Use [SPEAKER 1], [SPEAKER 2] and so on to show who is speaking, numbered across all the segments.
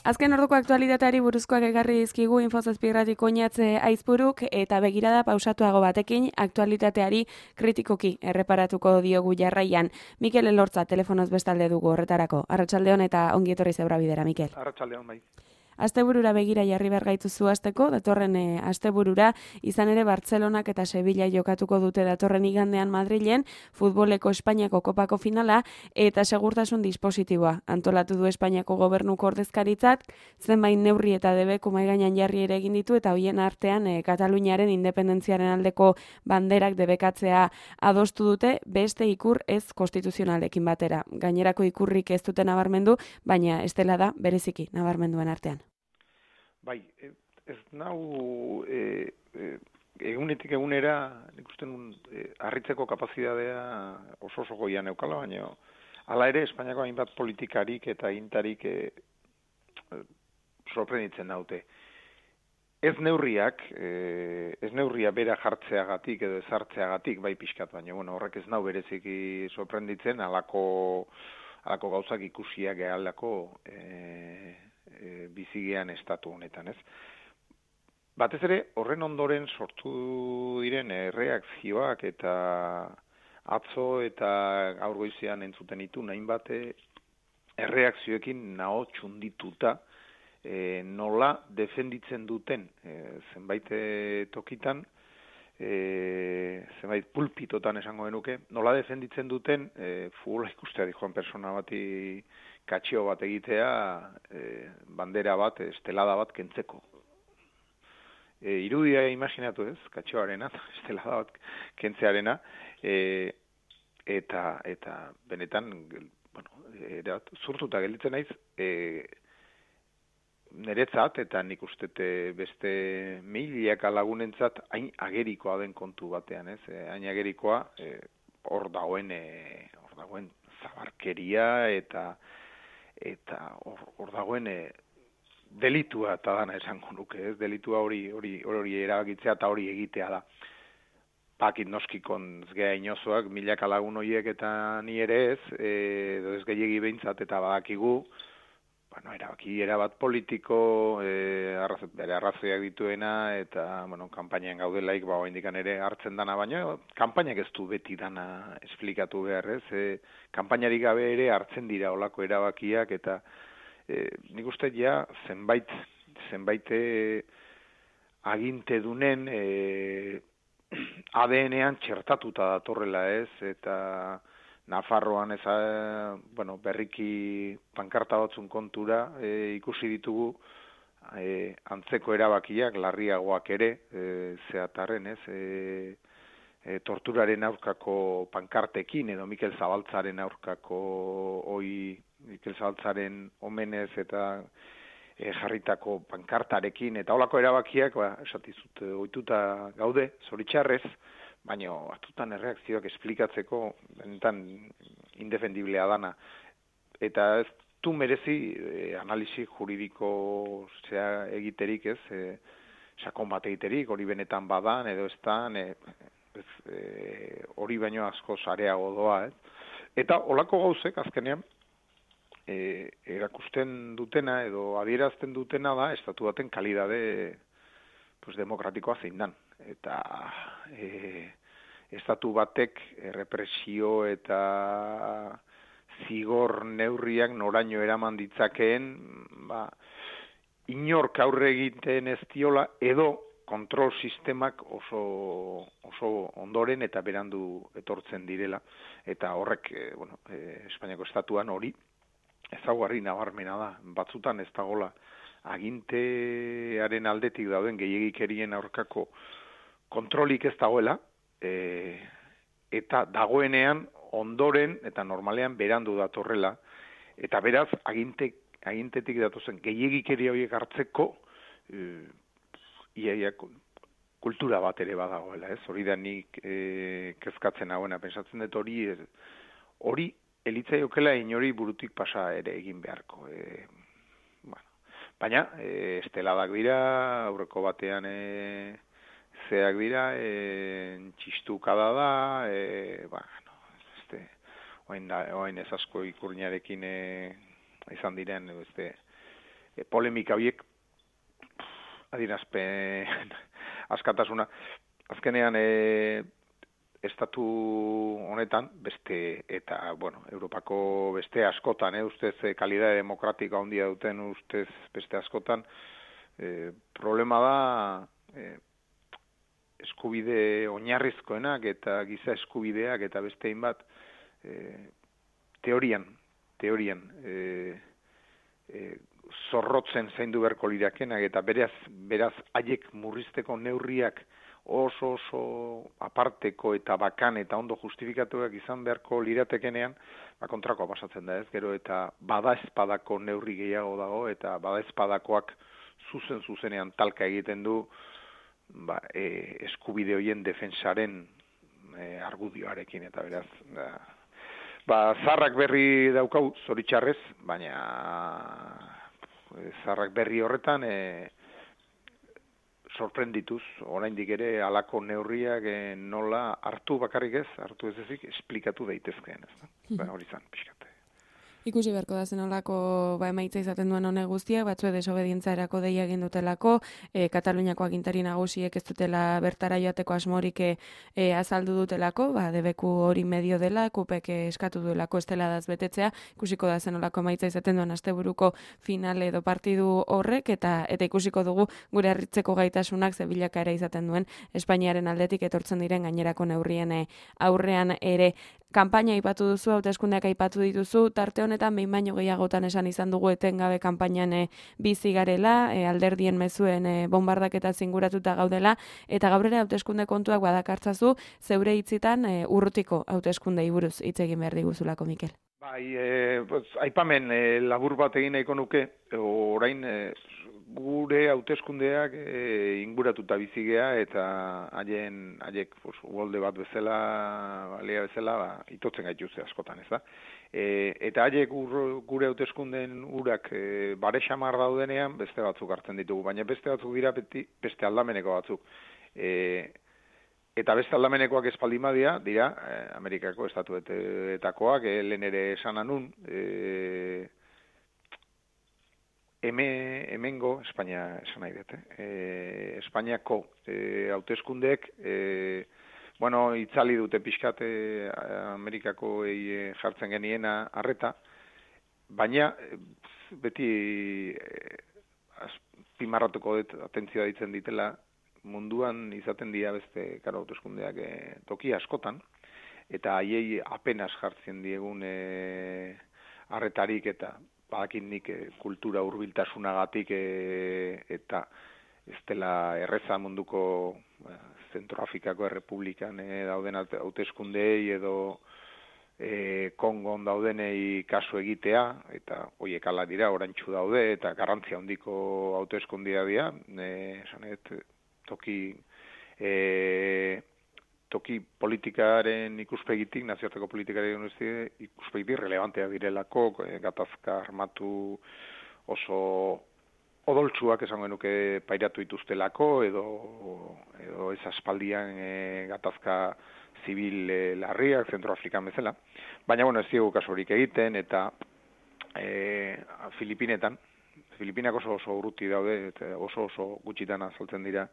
[SPEAKER 1] Azken orduko aktualitateari buruzkoak egarri dizkigu Info7 oinatze aizpuruk eta begirada pausatuago batekin aktualitateari kritikoki erreparatuko diogu jarraian. Mikel Elortza telefonoz bestalde dugu horretarako. Arratsaldeon eta ongi etorri Zebrabidera, Mikel.
[SPEAKER 2] Arratsaldeon bai.
[SPEAKER 1] Asteburura begira jarri behar gaituzu hasteko, datorren asteburura, izan ere Bartzelonak eta Sevilla jokatuko dute datorren igandean Madrilen, futboleko Espainiako kopako finala eta segurtasun dispositiboa. Antolatu du Espainiako gobernuko ordezkaritzak, zenbait neurri eta debeku mahai gainean jarri ere egin ditu eta hoien artean Kataluniaren independentziaren aldeko banderak debekatzea adostu dute beste ikur ez konstituzionalekin batera. Gainerako ikurrik ez dute nabarmendu, baina ez dela da bereziki nabarmenduen artean.
[SPEAKER 2] Bai, ez nau egunetik egunera nik uste harritzeko kapazitatea oso goian neukala, baina hala ere Espainiako hainbat politikarik eta agintarik sorprenditzen naute. Ez neurria bera jartzeagatik edo ezartzeagatik, bai pixkat, baina horrek ez nau bereziki sorprenditzen, halako gauzak ikusiak gehalako bizigean estatu honetan, ez? Batez ere, horren ondoren sortu diren erreakzioak eta atzo eta gaur goizean entzuten ditu hainbat erreakzioekin naho txundituta nola defenditzen duten zenbait tokitan, zenbait pulpitotan esango genuke, nola defenditzen duten futbola ikustea dijoan persona bati katxio bat egitea, bandera bat, estelada bat kentzeko. Irudia imaginatu ez, katxioarena, estelada bat kentzearena, eta benetan, zurtuta gelditzen naiz, niretzat, eta nik uste beste milaka lagunentzat hain agerikoa den kontu batean, ez? Hain agerikoa, hor dagoen zabarkeria eta hor dagoen delitua eta dana esango nuke, ez? Delitua hori erabakitzea eta hori egitea da. Pakit noskikon zgea inozoak, milaka lagun horiek eta ni ere ez, edo ez gehiagi behintzat eta badakigu, erabaki erabat politiko, bere arrazoiak dituena, eta, kanpainan gaudelaik, indikan ere hartzen dana, baina kanpainak ez du beti dana esplikatu behar, ez? Kanpainarik gabe ere hartzen dira olako erabakiak, eta nik uste ja zenbait agintedunen ADN-ean txertatuta datorrela, ez? Eta Nafarroan berriki pankarta batzun kontura ikusi ditugu antzeko erabakiak, larriagoak ere, zeatarren, ez? Torturaren aurkako pankartekin, edo Mikel Zabaltzaren aurkako Mikel Zabaltzaren omenez eta jarritako pankartarekin, eta holako erabakiak, esatizut, ohituta gaude, zoritxarrez, baina batutan erreakzioak esplikatzeko benetan indefendiblea dana. Eta ez du merezi analisi juridiko egiterik, ez? Sakon bat egiterik, hori benetan badan edo ez dan, hori baino asko sareago doa, ez? Eta holako gauzek azkenean erakusten dutena edo adierazten dutena da estatu baten kalidade demokratikoa zein dan. Eta estatu batek represio eta zigor neurriak noraino eraman ditzakeen, inork aurre egiten ez diola, edo kontrol sistemak oso ondoren eta berandu etortzen direla. Eta horrek, Espainiako estatuan hori ezaugarri nabarmena da. Batzutan ez dagola agintearen aldetik dauden gehiegikerien aurkako kontrolik ez dagoela, eta dagoenean ondoren eta normalean berandu datorrela, eta beraz agintetik datozen gehiegikeria horiek hartzeko iaia kultura bat ere badagoela, ez? Hori da nik kezkatzen hauena, pensatzen dut hori elitzaiokela inori burutik pasa ere egin beharko. Baina, esteladak dira, aurreko batean zeak dira, txistukada da, oain ez asko ikurriñarekin izan diren, polemika horiek, adierazpen askatasuna, azkenean estatu honetan, beste, eta, bueno, Europako beste askotan, ustez, kalidade demokratika handia duten, ustez, beste askotan, problema da, eskubide oinarrizkoenak eta giza eskubideak eta beste hainbat, teorian, zorrotzen zaindu beharko lirakenak, eta beraz haiek murrizteko neurriak oso aparteko eta bakan eta ondo justifikatuak izan beharko liratekenean, kontrakoa pasatzen da, ez? Gero eta badaezpadako neurri gehiago dago, eta badaezpadakoak zuzenean talka egiten du eskubide horien defensaren argudioarekin, eta beraz, zarrak berri daukau, zoritxarrez, baina zarrak berri horretan sorprendituz, oraindik ere halako neurriak nola hartu bakarrik ez, hartu ez ezik, esplikatu daitezkeen, ez? Hori zan, pixkat.
[SPEAKER 1] Ikusi beharko da zenolako emaitza izaten duen honek guztiak, batzue desobedientzarako deia egin dutelako, Kataluniako agintari nagusiek ez dutela bertara joateko asmorik azaldu dutelako, debeku hori medio dela, kupek eskatu duelako esteladaz betetzea, ikusiko da zenolako emaitza izaten duen asteburuko final edo partidu horrek, eta ikusiko dugu gure harritzeko gaitasunak zebilakaera izaten duen Espainiaren aldetik etortzen diren gainerako neurrien aurrean ere. Kanpaina aipatu duzu, hauteskundeak aipatu dituzu, tarte honetan behin baino gehiagotan esan izan dugu etengabe kanpainan bizi garela, alderdien mezuen bombardaketa zinguratuta gaudela, eta gaur ere hauteskunde kontuak badakartzazu, zeure hitzitan urrutiko hauteskundei buruz hitz egin behar diguzulako, Mikel.
[SPEAKER 2] Bai, aipamen labur bat egin nahiko nuke, orain gure hauteskundeak inguratuta bizigea, eta haiek uholde bat bezala, balea bezala, itotzen gaituzte askotan, ez da? Eta haiek gure hauteskundeen urak bare xamar daudenean, beste batzuk hartzen ditugu, baina beste batzuk dira beste aldameneko batzuk. Eta beste aldamenekoak espaldin badia, dira Amerikako estatuetakoak, lehen ere esan anun, hemengo, Espainia esan nahi dut, Espainiako hauteskundeek, itzali dute pixkat Amerikako jartzen geniena arreta, baina beti azpimarratuko dut atentzioa ditzen ditela, munduan izaten dira beste hauteskundeak toki askotan, eta haiei apenas jartzen diegun arretarik, eta badakin nik kultura hurbiltasunagatik eta ez dela erreza munduko Zentroafrikako Errepublikan dauden hauteskundei edo Kongon daudenei kasu egitea, eta horiek ala dira, orantxu daude, eta garrantzia handiko hauteskundea dira, esanet, toki politikaren ikuspegitik, nazioarteko politikaren ikuspegitik relevantea direlako, gatazka armatu oso odoltsuak esango genuke pairatu dituztelako, edo ez aspaldian gatazka zibil larriak, Zentroafrikan bezala. Baina, ez diegu kasurik egiten, eta Filipinak oso urruti daude, eta oso gutxitan azaltzen dira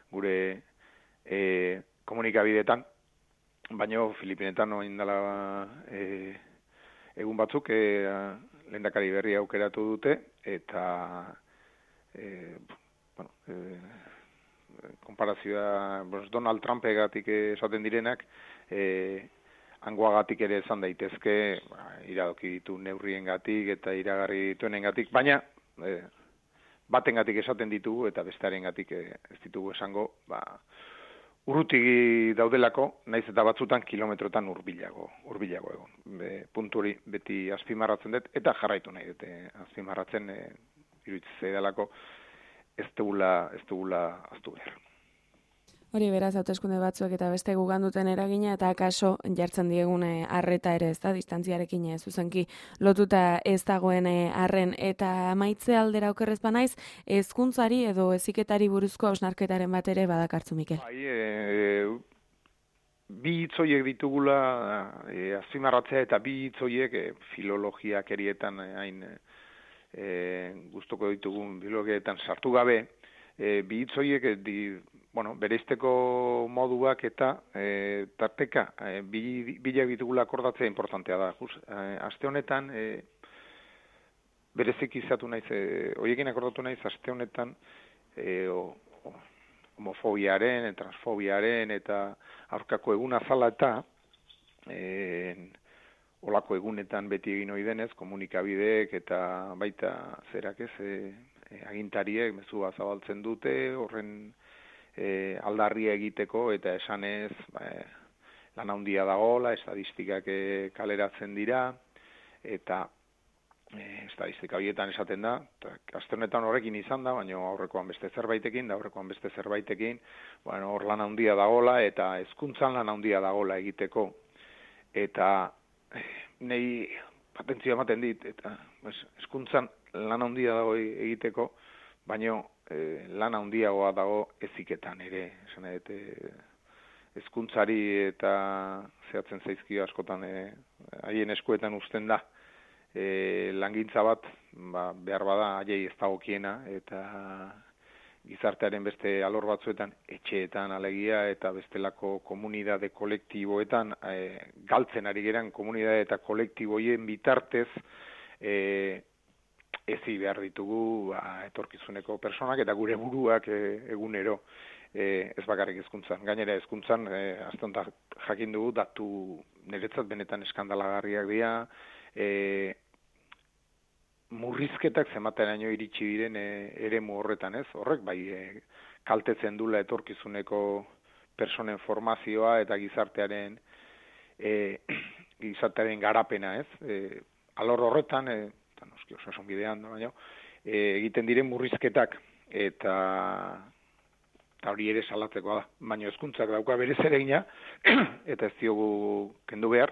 [SPEAKER 2] gure komunikabideetan, baina Filipinetan indala egun batzuk lehendakari berri aukeratu dute, eta konparazioa Donald Trumpegatik esaten direnak, hangoagatik ere esan daitezke, iradoki ditu neurriengatik eta iragarri dituenengatik, baina batengatik esaten ditugu eta bestearengatik ez ditugu esango, urruti daudelako, naiz eta batzutan kilometrotan hurbilago egon. Puntu hori beti azpimarratzen dut, eta jarraitu nahi dute azpimarratzen, iruditzen zaidalako ez dugula aztu behar.
[SPEAKER 1] Hori beraz, hauteskunde batzuek eta beste gugan duten eragina, eta akaso jartzen diegun arreta ere, ez da, distantziarekin zuzenki lotuta ez dagoen arren, eta maitze aldera okerrez banaiz, hezkuntzari edo heziketari buruzko hausnarketaren bat ere badakartzu, Mikel.
[SPEAKER 2] Bi hitzoiek ditugula azpimarratzea, eta bi hitzoiek filologiak erietan hain gustuko ditugun biologietan sartu gabe, bi hitz horiek bereizteko moduak eta tarteka bilak ditugula akordatzea importantea da. Aste honetan bereziki izatu naiz, horiekin akordatu naiz aste honetan homofobiaren, transfobiaren eta aurkako eguna zala eta olako egunetan beti egin ohi denez, komunikabideek eta baita agintariek mezua zabaltzen dute, horren aldarria egiteko eta esanez lan handia dagoela, estadistikak kaleratzen dira, eta estadistika horietan esaten da, aste honetan horrekin izan da, baina aurrekoan beste zerbaitekin, hor lan handia dagoela, eta hezkuntzan lan handia dagoela egiteko, eta nei patentzia ematen dit, eta hezkuntzan lan handia dago egiteko, baina lan handiagoa dago heziketan ere, esan hezkuntzari eta zehatzen zaizkio askotan haien eskuetan uzten da, langintza bat, behar bada haiei ez dagokiena, eta gizartearen beste alor batzuetan, etxeetan alegia, eta bestelako komunidade kolektiboetan, galtzen ari geran komunidade eta kolektiboien bitartez, ezi behar ditugu etorkizuneko personak, eta gure buruak egunero, ez bakarrik hezkuntzan. Gainera hezkuntzan, aztontak jakin dugu, datu niretzat benetan eskandalagarriak dira, murrizketak zemateraino iritsi diren eremu horretan, ez? Horrek bai kaltetzen dula etorkizuneko personen formazioa eta gizartearen garapena, ez? Alor horretan, eta noski osasun bidean, baina egiten diren murrizketak eta hori ere salatzekoa da. Baina hezkuntzak dauka bere zeregina eta ez diogu kendu behar,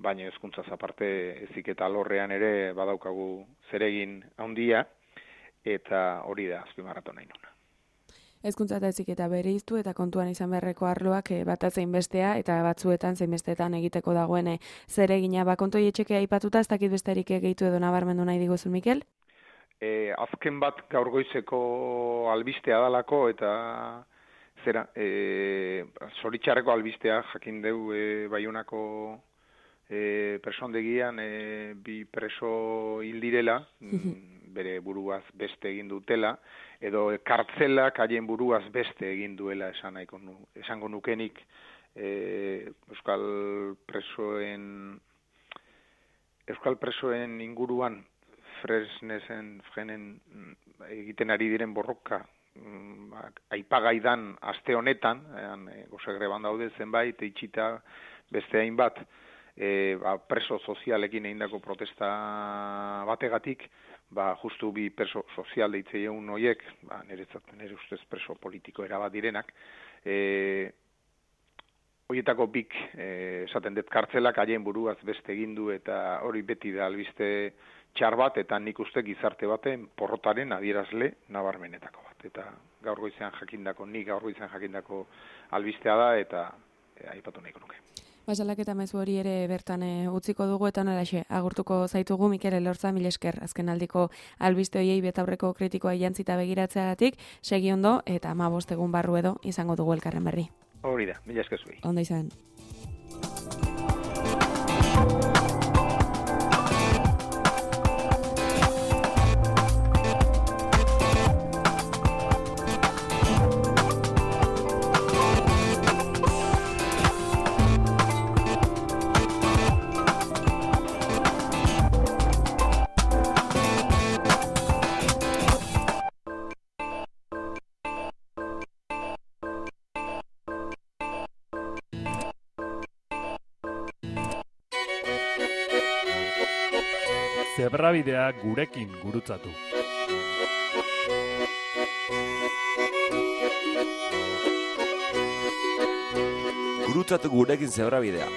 [SPEAKER 2] baina hezkuntzaz aparte heziketa alorrean ere badaukagu zeregin handia, eta hori da azpimarratu nahi nuna.
[SPEAKER 1] Hezkuntza eta heziketa bereiztu eta kontuan izan beharreko arloak bata zein bestea eta batzuetan zein besteetan egiteko dagoen zeregina. Kontu hietxekea aipatuta, ez dakit besterik gehitu edo nabarmendu nahi diguzun, Mikel?
[SPEAKER 2] Azken bat gaur goizeko albistea dalako eta zoritxarreko albistea jakin deu Baionako presondegian bi preso hil direla, bere buruaz beste egin dutela, edo kartzelak haien buruaz beste egin duela esango nukenik euskal presoen inguruan Fresnesen egiten ari diren borroka aipagaidan aste honetan, gozegreban daude zenbait, itxita beste hainbat, preso sozialekin egindako protesta bategatik, justu bi preso sozial deitzeion horiek, nire ustez preso politiko erabat direnak, horietako bik esaten dut kartzelak haien buruaz beste egindu eta hori beti da albiste txar bat, eta nik uste gizarte baten porrotaren adierazle nabarmenetako bat. Eta gaur goizean jakindako albistea da, eta aipatu nahiko nuke.
[SPEAKER 1] Salak eta mezu hori ere bertan utziko dugu, eta nolaxe agurtuko zaitugu Mikel Elorza, mil esker azken aldiko albiste hoiei betaurreko kritikoa jantzita begiratzeagatik, segi ondo eta 15 egun barru edo izango dugu elkarren berri.
[SPEAKER 2] Hori da, mil esker zuei.
[SPEAKER 1] Ondo izan.
[SPEAKER 3] Zebrabidea gurekin gurutzatu.
[SPEAKER 4] Gurutzatu gurekin zebrabidea.